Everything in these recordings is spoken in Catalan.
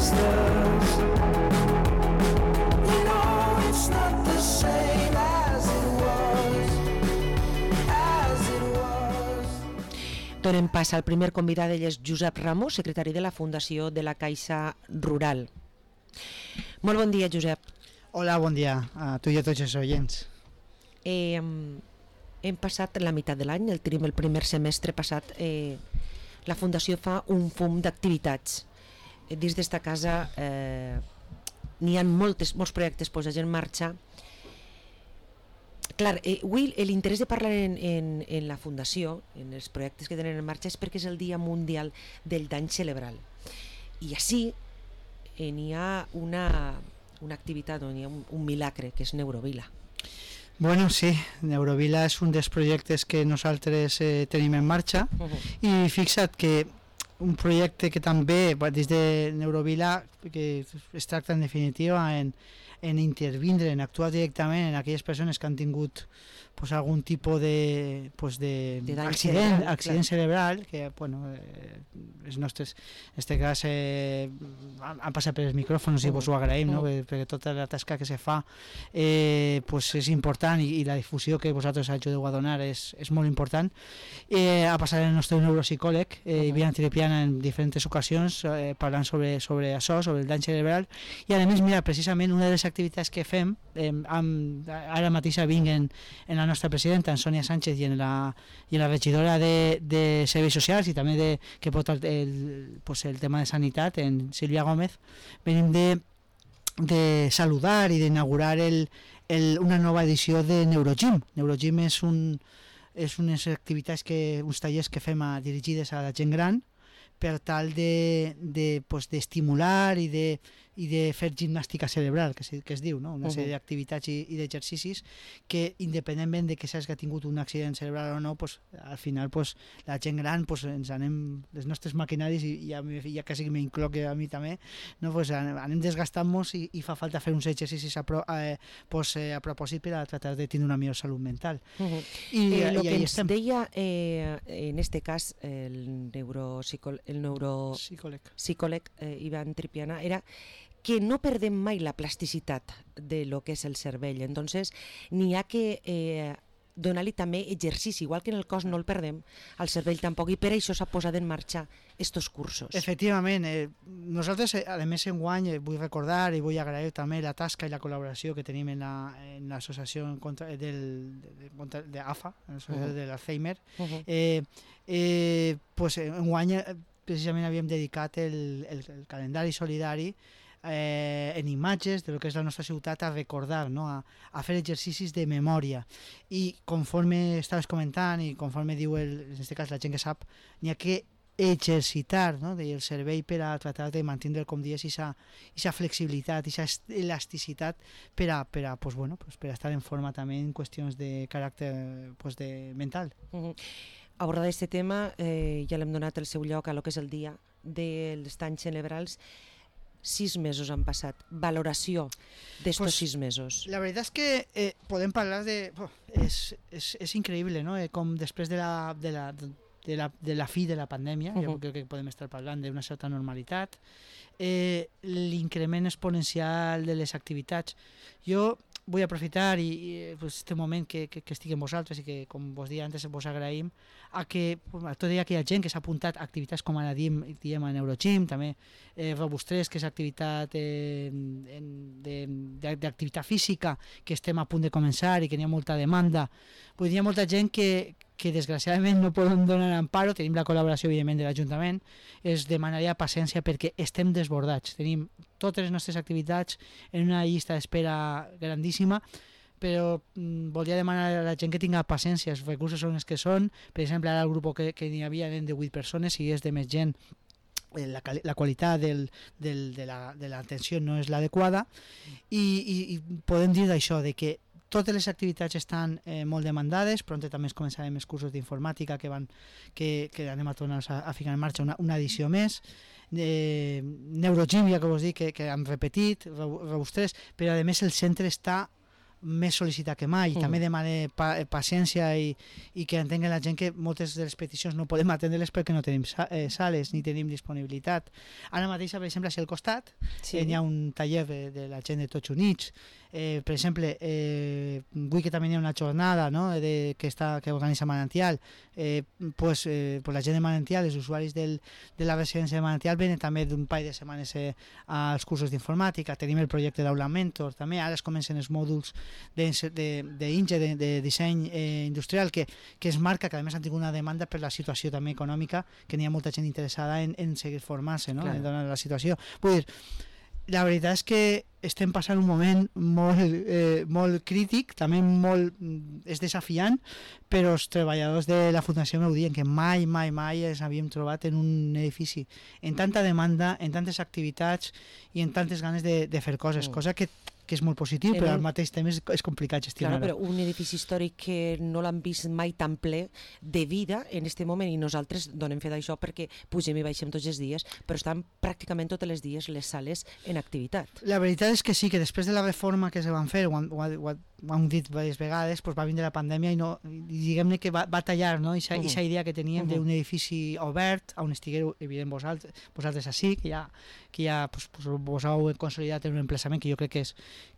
sisters. You know it's not the same as it was, as it was. Donem pas al primer convidat, ell és Josep Ramos, secretari de la Fundació de la Caixa Rural. Molt bon dia, Josep. Hola, bon dia a tu i a tots els oients. Hem passat la meitat de l'any, el primer semestre passat, la Fundació fa un fum d'activitats. Dins d'esta casa n'hi ha molts projectes posats en marxa. Clar, avui l'interès de parlar en la Fundació, en els projectes que tenen en marxa, és perquè és el Dia Mundial del Dany Cerebral. I així n'hi ha una activitat, n'hi ha un milagre, que és Neurovila. Bueno, sí, Neurovila és un dels projectes que nosaltres tenim en marxa i fixa't que un projecte que també des de Neurovila que es tracta en definitiva en intervindre, en actuar directament en aquelles persones que han tingut pues, algun tipus de accident cerebral que bueno, els nostres en aquest cas han passat per els micròfons i vos ho agraïm, no? Perquè tota la tasca que se fa pues és important i la difusió que vosaltres ajudeu a donar és molt important. Ha passat el nostre neuropsicòleg Ivan Tripiana en diferents ocasions parlant sobre això, sobre el dany cerebral i a més, mira, precisament una de les activitats que fem ara mateix vinc en la nostra presidenta, en Sònia Sánchez i en la regidora de Serveis Socials i també que porta el tema de sanitat, en Sílvia Gómez, venim de saludar i d'inaugurar una nova edició de Neurogym. Neurogym és unes activitats, uns tallers que fem dirigides a la gent gran per tal d'estimular i de fer gimnàstica cerebral, que es diu, no? Una sèrie d'activitats i d'exercicis que, independentment de que s'hagi tingut un accident cerebral o no, al final la gent gran ens anem, les nostres maquinaris, i ja quasi que m'incloc a mi també, no? Anem desgastant-nos i fa falta fer uns exercicis a propòsit per a tratar de tenir una millor salut mental. I el que ens deia, en este cas, el neuropsicòleg Ivan Tripiana era que no perdem mai la plasticitat de lo que és el cervell, entonces n'hi ha que donar-li també exercici, igual que en el cos no el perdem, al cervell tampoc, i per això s'ha posat en marxa estos cursos. Efectivament, nosaltres a més enguany vull recordar i vull agrair també la tasca i la col·laboració que tenim en l'associació d'AFA, l'associació de l'Alzheimer. Enguany precisament havíem dedicat el calendari solidari en imatges de lo que és la nostra ciutat a recordar, no? a fer exercicis de memòria, i conforme estaves comentant i conforme diu en aquest cas la gent que sap, n'hi ha que exercitar, no? El cervell per a tratar de mantenir, com dius, aquesta flexibilitat, aquesta elasticitat per a estar en forma també en qüestions de caràcter mental. Abordar aquest tema, ja l'hem donat el seu lloc a lo que és el dia dels danys cerebrals. 6 mesos han passat. Valoració d'estos 6 mesos. La veritat és que podem parlar de... És increïble, no? Com després de la fi de la pandèmia, jo crec que podem estar parlant d'una certa normalitat, l'increment exponencial de les activitats. Jo vull aprofitar este moment que estic amb vosaltres i que, com vos deia antes, vos agraïm a que tota aquella gent que s'ha apuntat a activitats com ara diem a Neurogym, també Robust3, que és activitat d'activitat física, que estem a punt de començar i que n'hi ha molta demanda. Vull dir, hi ha molta gent que desgraciadament no poden donar amparo, tenim la col·laboració evidentment de l'Ajuntament, es demanaria paciència perquè estem desbordats, tenim totes les nostres activitats en una llista d'espera grandíssima, però volia demanar a la gent que tinga paciència, els recursos són els que són, per exemple ara el grup que n'hi havia eren de 8 persones, si és de més gent la qualitat de l'atenció no és l'adequada, i podem dir d'això, de que totes les activitats estan molt demandades. Pront també començarem els cursos d'informàtica que anem a tornar a ficar en marxa una edició més. Neurogym, ja que vos dic que hem repetit, Robust3, però a més el centre està més sol·licitat que mai, i també demane paciència i que entenguen la gent que moltes de les peticions no podem atendre-les perquè no tenim sales ni tenim disponibilitat. Ara mateix, per exemple, si al costat hi ha un taller de la gent de Tots Units. Per exemple, vull que també hi ha una jornada, no?, que organitza Manantial. Pues la gent de Manantial, els usuaris de la residència de Manantial, venen també d'un parell de setmanes als cursos d'informàtica. Tenim el projecte d'Aula Mentor, també ara es comencen els mòduls d'INGE, de disseny industrial, que es marca, que a més han tingut una demanda per la situació també econòmica, que n'hi ha molta gent interessada en seguir formant-se, no?, en donar la situació. Vull dir, la veritat és que estem passant un moment molt crític, també és desafiant, però els treballadors de la Fundació m'ho diuen que mai ens havíem trobat en un edifici en tanta demanda, en tantes activitats i en tantes ganes de fer coses, cosa que és molt positiu, però al mateix temps és complicat gestionar-ho. Claro, però un edifici històric que no l'han vist mai tan ple de vida en aquest moment, i nosaltres donem fe d'això perquè pugem i baixem tots els dies, però estan pràcticament tots els dies les sales en activitat. La veritat és que sí, que després de la reforma que se van fer, ho hem dit diverses vegades, doncs va vindre la pandèmia i diguem-ne que va tallar, no?, aquesta idea que teníem d'un edifici obert, on estigueu, evident, vosaltres així, que ja vos heu consolidat en un emplaçament que jo crec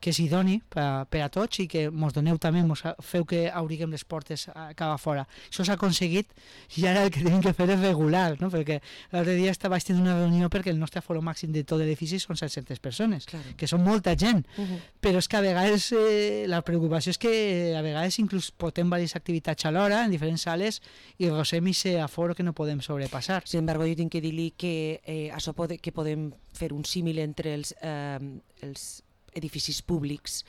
que és idoni per a tots i que mos doneu també, mos feu que obriguem les portes cap a fora. Això s'ha aconseguit i ara el que tenim que fer és regular, no?, perquè l'altre dia vaig tenir una reunió perquè el nostre aforo màxim de tot l'edifici són 700 persones, que són molta gent, però és que a vegades la preocupació és que a vegades inclús portem diverses activitats alhora en diferents sales i rosem aquest aforo que no podem sobrepassar. Sin embargo, jo tinc que dir-li que això que podem fer un símil entre els edificis públics.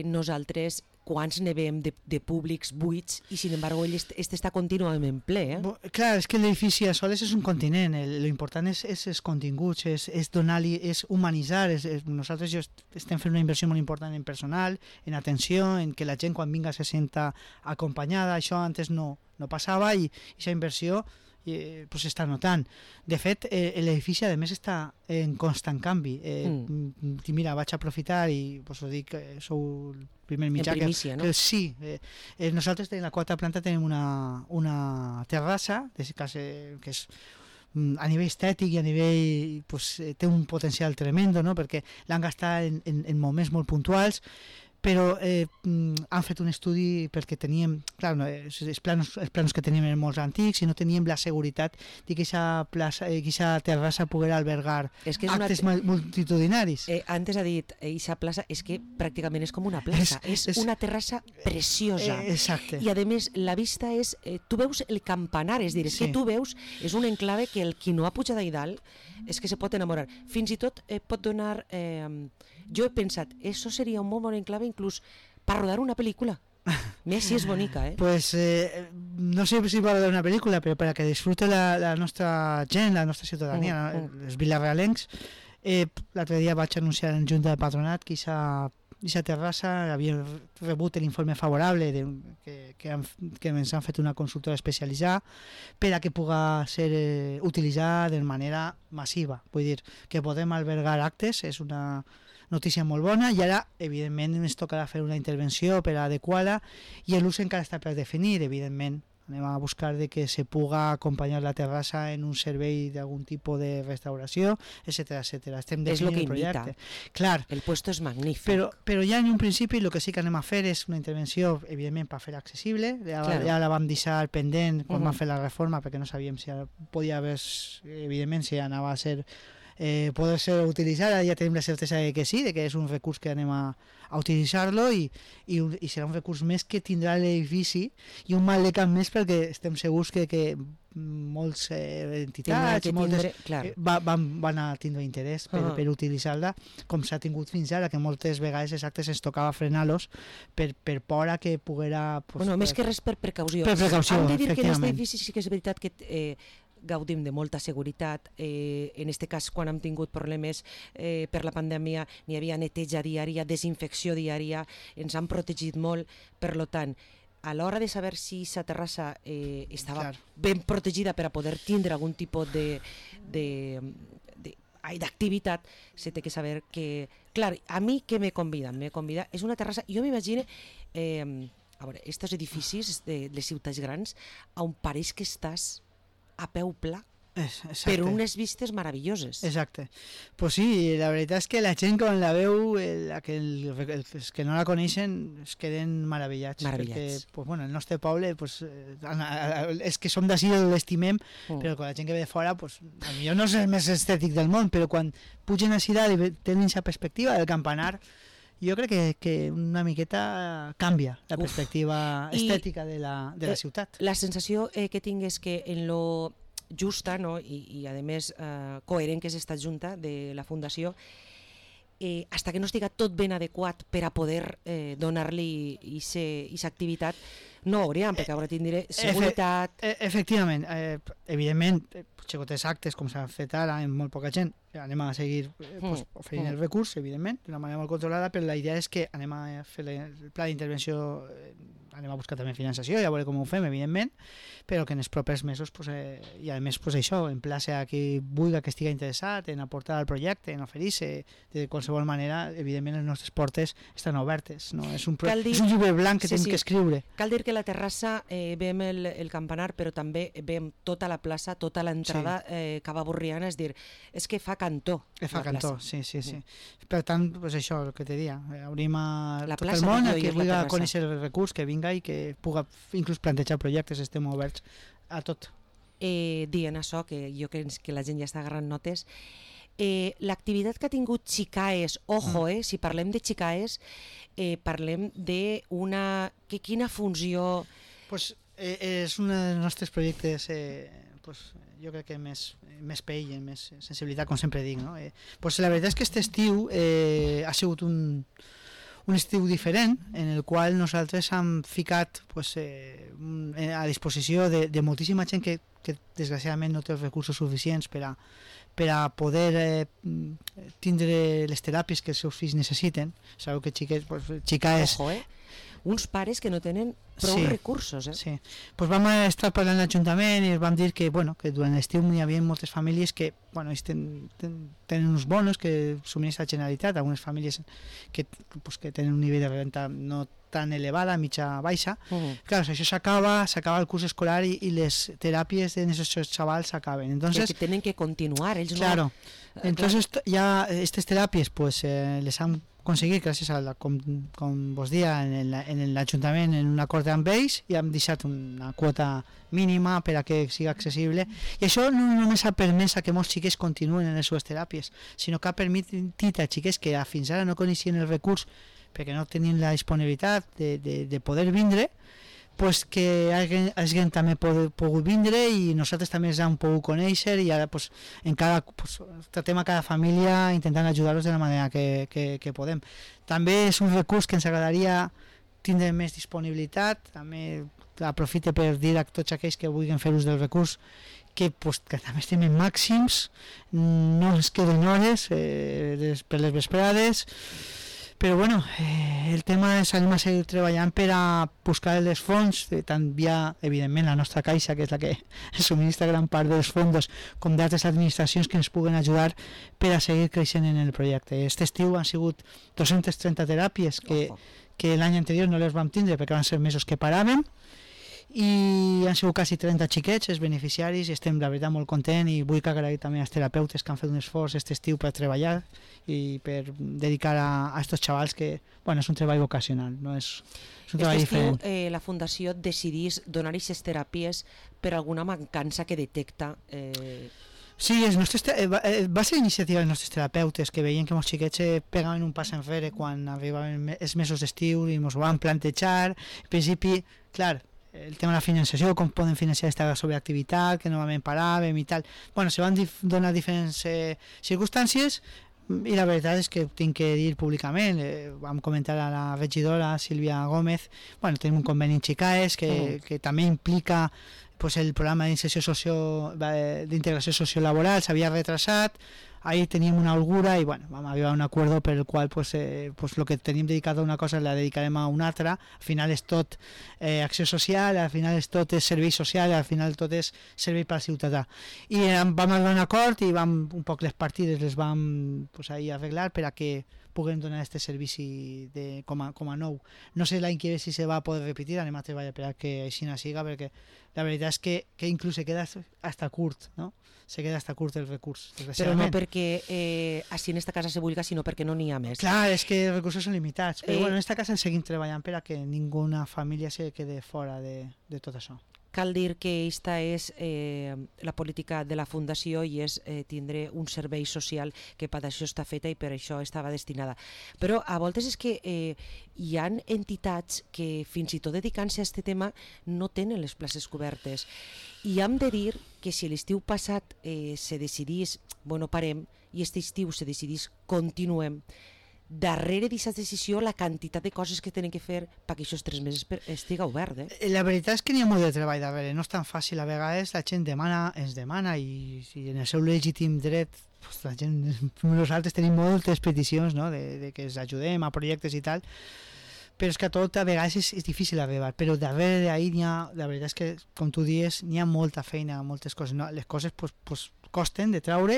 Nosaltres quants ne veiem de públics buits i sin embargo ell està contínuament ple. Clar, és que l'edifici a soles és un continent, l'important és els continguts, és donar-li, és humanitzar. Nosaltres estem fent una inversió molt important en personal, en atenció, en que la gent quan vinga se senta acompanyada. Això antes no passava i aquesta inversió s'està notant. De fet, l'edifici a més està en constant canvi. Mira, vaig aprofitar i us dic que sou el primer mitjà en primícia, no? Sí, nosaltres en la quarta planta tenim una terrassa que és a nivell estètic i a nivell té un potencial tremendo, no?, perquè l'han gastat en moments molt puntuals, però han fet un estudi perquè teníem, clar, els plans que teníem eren molt antics i no teníem la seguretat de que aquesta terrassa poguera albergar actes multitudinaris. Antes ha dit, aquesta plaça és que pràcticament és com una plaça, és una terrassa preciosa. Exacte. I a més la vista és, tu veus el campanar, és dir, que tu veus, és un enclave que el qui no ha pujat allà dalt és que se pot enamorar. Fins i tot pot donar... Jo he pensat, això seria un molt bon enclave inclús per rodar una pel·lícula. Més si és bonica, Pues no sé si va rodar una pel·lícula, però per a que disfrute la nostra gent, la nostra ciutadania, els vilarealencs. L'altre dia vaig anunciar en Junta de Patronat que aquesta terrassa havia rebut l'informe favorable que ens han fet una consultora especialitzada per a que pugui ser utilitzada de manera massiva. Vull dir, que podem albergar actes, és una notícia molt bona, i ara evidentment ens tocarà fer una intervenció per adequar-la i l'ús encara està per definir. Evidentment anem a buscar de que se puga acompanyar la terrassa en un servei d'algun tipus de restauració, etcètera. Estem definint el projecte. Clar, el puesto és magnífic. Però ja en un principi el que sí que anem a fer és una intervenció, evidentment, per fer accessible. Ja la vam deixar pendent quan vam fer la reforma perquè no sabíem si podia haver, evidentment, si anava a ser poder ser utilitzada. Ja tenim la certesa de que sí, de que és un recurs que anem a utilitzar-lo i serà un recurs més que tindrà l'edifici i un mal de cap més perquè estem segurs que molts entitats van a tindre interès per utilitzar-la, com s'ha tingut fins ara, que moltes vegades exactes ens tocava frenar-los per por a que poguera... Més que res per precaució. Per precaució, hem de dir efectivament. que en aquest edifici sí que és veritat que gaudim de molta seguretat. En aquest cas, quan hem tingut problemes per la pandèmia, n'hi havia neteja diària, desinfecció diària, ens han protegit molt. Per tant, a l'hora de saber si la terrassa estava ben protegida per a poder tindre algun tipus d'activitat, se té que saber que... Clar, a mi què me convida? Me convida, és una terrassa, jo m'imagino, a veure, estos edificis de les ciutats grans, on pareix que estàs a peu pla, per unes vistes meravelloses. Exacte. Pues sí, la veritat és que la gent quan la veu, els que no la coneixen, es queden meravellats. Perquè, pues, bueno, el nostre poble, pues, és que som d'ací l'estimem, però quan la gent que ve de fora, pues, potser no és el més estètic del món, però quan pugen així dalt i tenen aquesta perspectiva del campanar, jo crec que una miqueta canvia la perspectiva estètica de la ciutat. La sensació que tinc és que en lo justa, no? I a més coherent que és esta junta de la Fundació, hasta que no estiga tot ben adequat per a poder donar-li aquesta activitat, no hauríem, perquè ara tindré seguretat... Efectivament, evidentment, xicotets actes, com s'ha fet ara, amb molt poca gent, anem a seguir oferint el recurs, evidentment, d'una manera molt controlada, però la idea és que anem a fer el pla d'intervenció, anem a buscar també finançació, ja veurem com ho fem, evidentment, però que en els propers mesos, i a més, això, emplaça a qui vulgui que estigui interessat en aportar al projecte, en oferir-se, de qualsevol manera, evidentment les nostres portes estan obertes, no? És un llibre blanc que tenim que escriure. Cal dir que a la terrassa veiem el campanar, però també veiem tota la plaça, tota l'entrada Cava Borriana, és dir, és que fa cantó. Fa cantó, sí. Per tant, pues això, el que te dia, obrim a tot el món, a qui vulgui conèixer el recurs, que vinga i que pugui inclús plantejar projectes, estem oberts a tot. Dient això, que jo crec que la gent ja està agarrant notes, l'activitat que ha tingut Xicaes, ojo, si parlem de Xicaes, parlem d'una... Quina funció... Pues és un dels nostres projectes, jo crec que més pell, més sensibilitat, com sempre dic, no? Pues la veritat és que aquest estiu ha sigut un estiu diferent, en el qual nosaltres hem ficat a disposició de moltíssima gent que desgraciadament no té els recursos suficients per a poder tindre les teràpies que els seus fills necessiten. Sabeu que Xicaes... Ojo, uns pares que no tenen prou recursos. Sí, pues vam estar parlant a l'Ajuntament i vam dir que durant l'estiu hi havia moltes famílies que tenen uns bonos que subministra la Generalitat, algunes famílies que tenen un nivell de renta no tan elevada, mitja baixa. Clar, això s'acaba el curs escolar i les teràpies de aquests xavals s'acaben. Entonces, que tenen que continuar. Ells claro. Entonces ya estas terapias les han conseguit gràcies a com vos dia en l'Ajuntament en un acord amb ells i hem deixat una quota mínima per a que sigui accessible i això no només ha permès que molts xiquets continuen en les seves teràpies, sinó que ha permetit a xiquets que fins ara no coneixien el recurs perquè no tenien la disponibilitat de poder vindre, pues que alguien també pogut vindre i nosaltres també els hem pogut conèixer i ara tratem a cada família intentant ajudar-los de la manera que podem. També és un recurs que ens agradaria tindre més disponibilitat, també aprofite per dir a tots aquells que vulguin fer ús del recurs que també estem en màxims, no es queden hores per les vesprades, però bueno, el tema és anem a seguir treballant per a buscar els fons, tant via, evidentment, la nostra caixa, que és la que subministra gran part dels fons, com d'altres administracions que ens puguen ajudar per a seguir creixent en el projecte. Aquest estiu han sigut 230 teràpies que l'any anterior no les vam tindre perquè van ser mesos que paràvem, i han sigut quasi 30 xiquets els beneficiaris i estem la veritat molt contents i vull agrair també als terapeutes que han fet un esforç aquest estiu per treballar i per dedicar a estos xavals que és un treball vocacional, no és un treball diferent. La Fundació decidís donar aquestes teràpies per alguna mancança que detecta. Sí, va ser iniciativa dels nostres terapeutes que veien que molts xiquets pegaven un pas enrere quan arribaven els mesos d'estiu i ens ho van plantejar. En principi, clar, el tema de la finançació, com poden financiar aquesta sobreactivitat que novament paràvem i tal. Se van donar diferents circumstàncies i la veritat és que tinc que dir públicament, vam comentar a la regidora Sílvia Gómez, tenim un conveni en Xicaes que també implica el programa d'integració sociolaboral s'havia retrasat, ahí teníem una holgura i bueno, vam arribar a un acuerdo per el qual pues lo que teníem dedicat a una cosa la dedicarem a una altra. Al final és tot acció social, al final és tot és servei social, al final tot és servei per al ciutadà. I vam arribar a un acord i vam, un poc les partides les vam pues, ahí arreglar per a que puguem donar aquest servici com a nou. No sé l'any que ve si se va poder repetir, anem a treballar per a que així no siga, perquè la veritat és que inclús se queda hasta curt, no? Se queda hasta curt el recurs. Però no perquè així en esta casa se vulga, sinó perquè no n'hi ha més. Clar, és que els recursos són limitats, però bueno, en esta casa seguim treballant per a que ninguna família se quede fora de tot això. Cal dir que aquesta és la política de la Fundació i és tindre un servei social que per això està feta i per això estava destinada. Però a voltes és que hi ha entitats que fins i tot dedicant-se a aquest tema no tenen les places cobertes. I hem de dir que si l'estiu passat se decidís, bueno, parem, i aquest estiu se decidís, continuem, darrere d'aquesta decisió la quantitat de coses que tenen que fer perquè aquests 3 mesos estiga obert. La veritat és que n'hi ha molt de treball darrere, no és tan fàcil, a vegades la gent ens demana i en el seu legítim dret pues, la gent, nosaltres tenim moltes peticions, no? de que ens ajudem a projectes i tal, però és que tot a vegades és difícil arribar, però darrere d'ahir la veritat és que, com tu dius, n'hi ha molta feina, moltes coses, no? Les coses pues, costen de treure,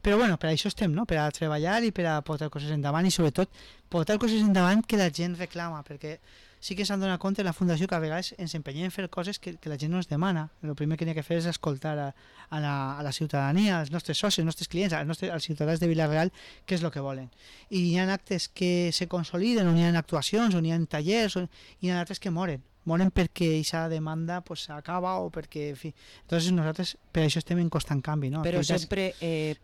però bueno, per això estem, no? Per a treballar i per a portar coses endavant i sobretot portar coses endavant que la gent reclama, perquè sí que s'han donat compte la Fundació que a vegades ens empenyem a fer coses que la gent no ens demana. El primer que n'hi ha que fer és escoltar a la ciutadania, als nostres socis, als nostres clients, als ciutadans de Vila-real, què és el que volen. I hi ha actes que se consoliden, on hi ha actuacions, on hi ha tallers, i hi ha altres que moren perquè aquesta demanda pues, acaba o perquè, en fi, entonces nosaltres per això estem en constant canvi, no? Però sempre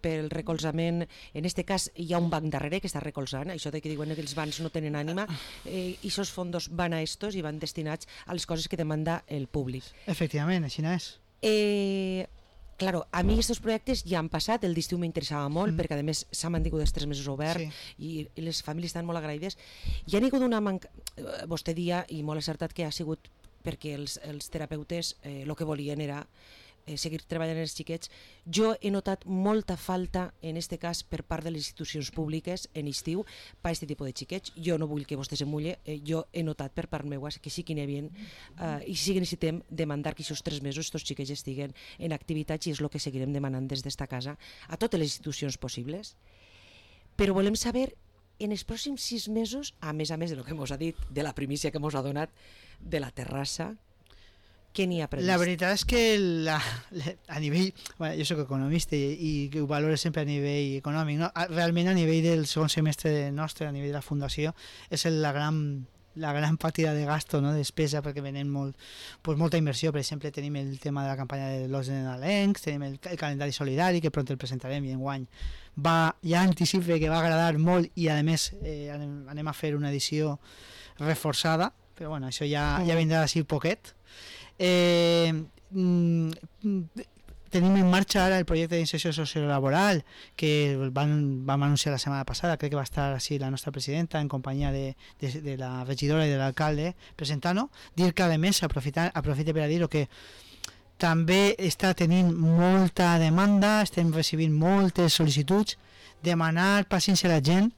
pel recolzament, en este cas hi ha un banc darrere que està recolzant, això de que diuen que els bancs no tenen ànima, i aquests fons van a estos i van destinats a les coses que demanda el públic. Efectivament, així no és. Claro, a mi aquests projectes ja han passat, el d'estiu m'interessava molt, perquè a més s'ha mantingut els 3 mesos obert, sí. i les famílies estan molt agraïdes. Hi ha hagut una vostè dia, i molt acertat, que ha sigut perquè els terapeutes el que volien era seguir treballant els xiquets. Jo he notat molta falta, en este cas, per part de les institucions públiques en estiu per aquest tipus de xiquets. Jo no vull que vostè se mulle, jo he notat per part meva que sí que n'hi havia i sí que necessitem demandar que aquests 3 mesos aquests xiquets estiguen en activitats i és el que seguirem demanant des d'esta casa a totes les institucions possibles. Però volem saber, en els pròxims 6 mesos, a més del que ens ha dit, de la primícia que ens ha donat de la terrassa, què n'hi ha previst? La veritat és que a nivell, bueno, jo soc economista i ho valoro sempre a nivell econòmic, no? Realment a nivell del segon semestre nostre, a nivell de la Fundació, és la gran partida de gasto, no? De despesa, perquè venem molta inversió. Per exemple, tenim el tema de la campanya de l'Os de Nadalencs, tenim el calendari solidari, que pront el presentarem i enguany ja anticipe que va agradar molt i a més anem a fer una edició reforçada, però bueno, això ja vindrà d'ací poquet. Tenim en marxa ara el projecte d'inserció sociolaboral que vam anunciar la setmana passada, crec que va estar així la nostra presidenta en companyia de la regidora i de l'alcalde presentant-ho. Dir que a més aprofite per a dir que també està tenint molta demanda, estem recibint moltes sol·licituds, demanar paciència a la gent.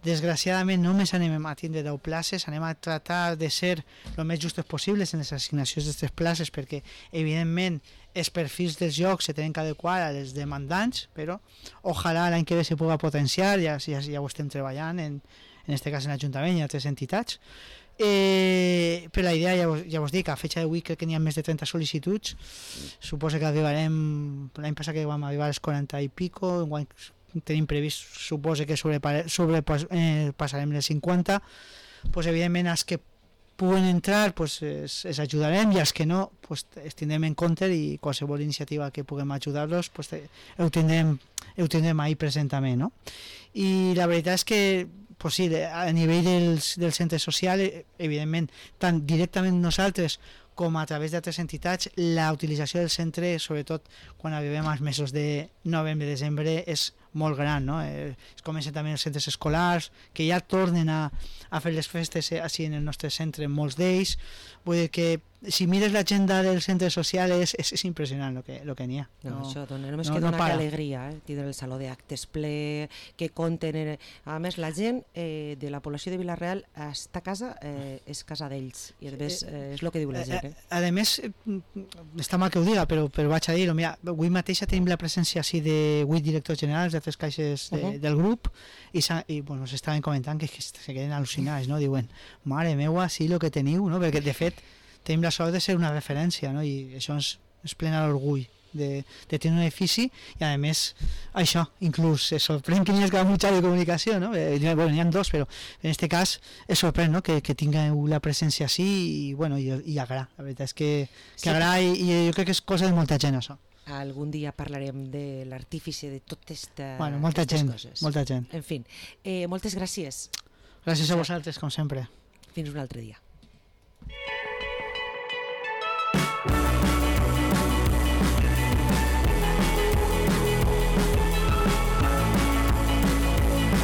Desgraciadament només anem a tindre 10 places, anem a tratar de ser el més justos possibles en les assignacions d'aquestes places perquè evidentment els perfils dels llocs se tenen que adequar a les demandants, però ojalà l'any que ve se pugui potenciar, ja ho estem treballant en aquest cas en l'Ajuntament i altres entitats. Però la idea ja vos dic, a fecha d'avui crec que n'hi ha més de 30 sol·licituds, suposo que arribarem, l'any passat que vam arribar als 40 i pico, enguany tenim previst, suposo que passarem les 50, pues, evidentment els que puguen entrar pues, els ajudarem i els que no pues, els tindrem en compte i qualsevol iniciativa que puguem ajudar-los pues, ho tindrem ahí present també, no? I la veritat és que pues, sí, a nivell del centre social, evidentment, tant directament nosaltres com a través d'altres entitats, la utilització del centre, sobretot quan arribem als mesos de novembre-desembre, és molt gran, no? Es comencen també els centres escolars, que ja tornen a fer les festes així en el nostre centre, molts d'ells. Vull dir que si mires l'agenda dels centres socials és impressionant el que n'hi ha. No, això només que dona que alegria, tindre el saló d'actes ple, que compten... A més, la gent de la població de Vila-real està a casa, és casa d'ells, i a més és el que diu la gent. A més, està mal que ho diga, però vaig a dir-ho, mira, avui mateixa tenim la presència així de 8 directors generals de 3 caixes del grup, i bueno, s'estaven comentant que se queden al·lucinats, no? Diuen, mare meua, sí, el que teniu, no? Perquè de fet tenim la sort de ser una referència, no? I això ens plena l'orgull de tenir un edifici, i a més això, inclús es sorprèn que n'hi hagi mitjà de comunicació, no? Bueno, n'hi ha 2, però en aquest cas es sorprèn, no? que tingueu la presència així, i bueno, i agrada, la veritat és que agrada, i jo crec que és cosa de molta gent, això. Algun dia parlarem de l'artífice de totes aquestes coses. Molta gent. En fi, moltes gràcies. Gràcies a vosaltres, com sempre. Fins un altre dia.